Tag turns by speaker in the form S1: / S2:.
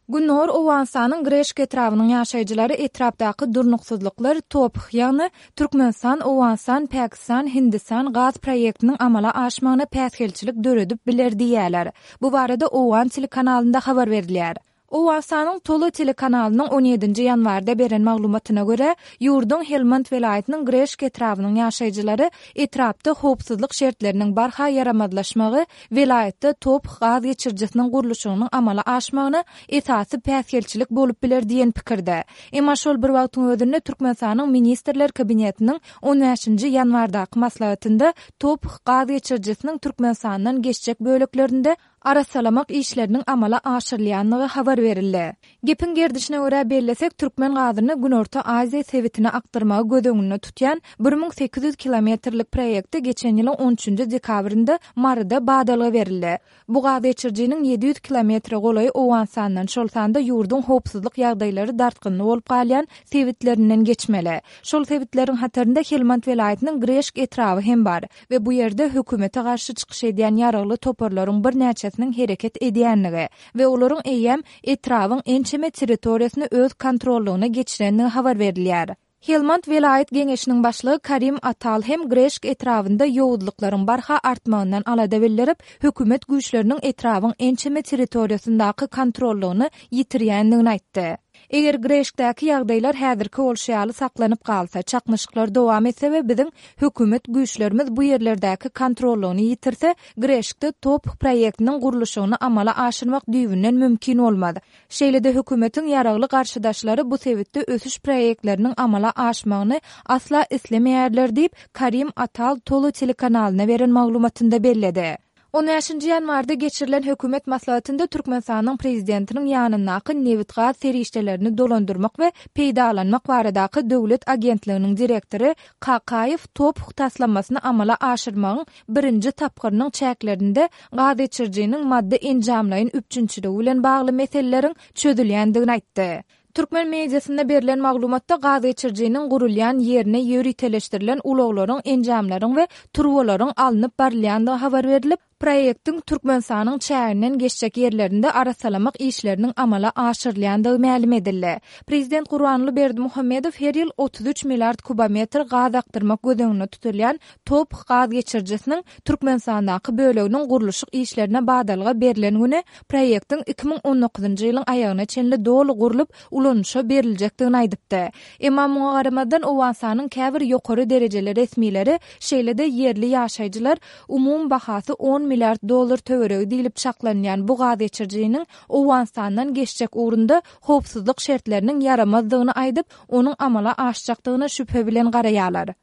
S1: Gündogar Owganystanyň Greşk etrabynyň ýaşaýjylary etrapdaky durnuksyzlyklar TOPH, ýagny Türkmenistan, Owganystan, Pakistan, Hindistan gaz proýektiniň amala aşmagyna päsgelçilik döredip biler diýýärler. Bu barada owgan telekanalynda habar berilýär. Owganystanyň Tolo telekanalynyň on ýedinji ýanwarda beren maglumatyna görä, ýurduň Helmand welaýatynyň Greşk etrabynyň ýaşaýjylary etrapda howpsuzlyk şertleriniň barha ýaramazlaşmagy welaýatda TOPH gaz geçirijisiniň gurluşygynyň amala aşmagyna esasy päsgelçilik bolup biler diýen pikirde. Emma şol bir wagtyň özünde Türkmenistanyň Ministrler Kabinetiniň on bäşinji ýanwardaky maslahatynda TOPH gaz geçirijisiniň Türkmenistandan geçjek böleklerinde arassalamak işleriniň amala aşyrylýandygy habar berildi. Gepiň gerdişine görä bellesek, türkmen gazyny Günorta Aziýa sebitine akdyrmagy göz öňünde tutýan 1800 kilometrlik proýekte geçen ýylyň on üçünji dekabrynda Maryda badalga berildi. Bu gaz geçirijiniň 700 kilometre golaýy Owganystandan, şol sanda ýurduň howpsuzlyk ýagdaýlary dartgynly bolup galýan sebitlerinden geçmeli. Şol sebitleriň hatarynda Helmand welaýatynyň Greşk etraby hem bar. we bu ýerde hökümete garşy çykyş edýän ýaragly toparlaryň birnäçesiniň hereket edýändigi we olaryň eýýäm etrabyň ençeme territoriýasyny öz kontrollygyna geçirendigi habar berilýär. Helmand welaýat geňeşiniň başlygy Karim Atal hem Greşk etrabynda ýowuzlyklaryň barha artmagyndan alada bildirip, hökümet güýçleriniň etrabyň ençeme territoriýasyndaky kontrollygyny ýitirýändigini aýtdy. Eger Greşkdäki ýagdaýlar häzirki bolşy ýaly saklanyp galsa, çaknyşyklar dowam etse we biziň hökümet güýçlerimiz bu ýerlerdäki kontrollygyny ýitirse, Greşkde TOPH proýektiniň gurluşygyny amala aşyrmak düýbünden mümkin bolmaz. Şeýle-de hökümetiň ýaragly garşydaşlary bu sebitde ösüş proýektleriniň amala aşmagyny asla islemeýärler diýip, Karim Atal Tolo telekanalyna beren maglumatynda belledi. On bäşinji ýanwarda geçirilen hökümet maslahatynda Türkmenistanyň Prezidentiniň ýanyndaky Nebitgaz serişdelerini dolandyrmak we peýdalanmak baradaky döwlet agentliginiň direktory Kakaýew TOPH taslamasyny amala aşyrmagyň birinji tapgyrynyň çäklerinde gazgeçirijiniň maddy-enjamlaýyn üpjünçiligi bilen bagly meseleleriň çözülýändigini aýtdy. Türkmen mediasynda berlen maglumatda gazgeçirijiniň gurulýan ýerine ýöriteleşdirilen ulaglaryň, enjamlaryň we turbalaryň alnyp barylýandygy habar berlip, proýektiň Türkmenistanyň çäginden geçjek ýerlerinde arassalamak işleriniň amala aşyrylýandygy mälim edildi. Prezident Gurbanguly Berdimuhamedow her ýyl 33 milliard kubometr gaz akdyrmak göz öňünde tutulýan TOPH gaz geçirijisiniň Türkmenistandaky böleginiň gurluşyk işlerine badalga berlen güni proýektiň 2019-njy ýylyň aýagyna çenli doly gurlup, ulanyşa beriljekdigini aýdypdy. Emma muňa garamazdan, Owganystanyň käbir ýokary derejeli resmileri, şeýle-de ýerli ýaşaýjylar umumy bahasy on milliard dollar töweregi diýlip çaklanylýan bu gaz geçirijiniň Owganystandan geçjek ugrunda howpsuzlyk şertleriniň ýaramazdygyny aýdyp, onuň amala aşjakdygyna şübhe bilen garaýarlar.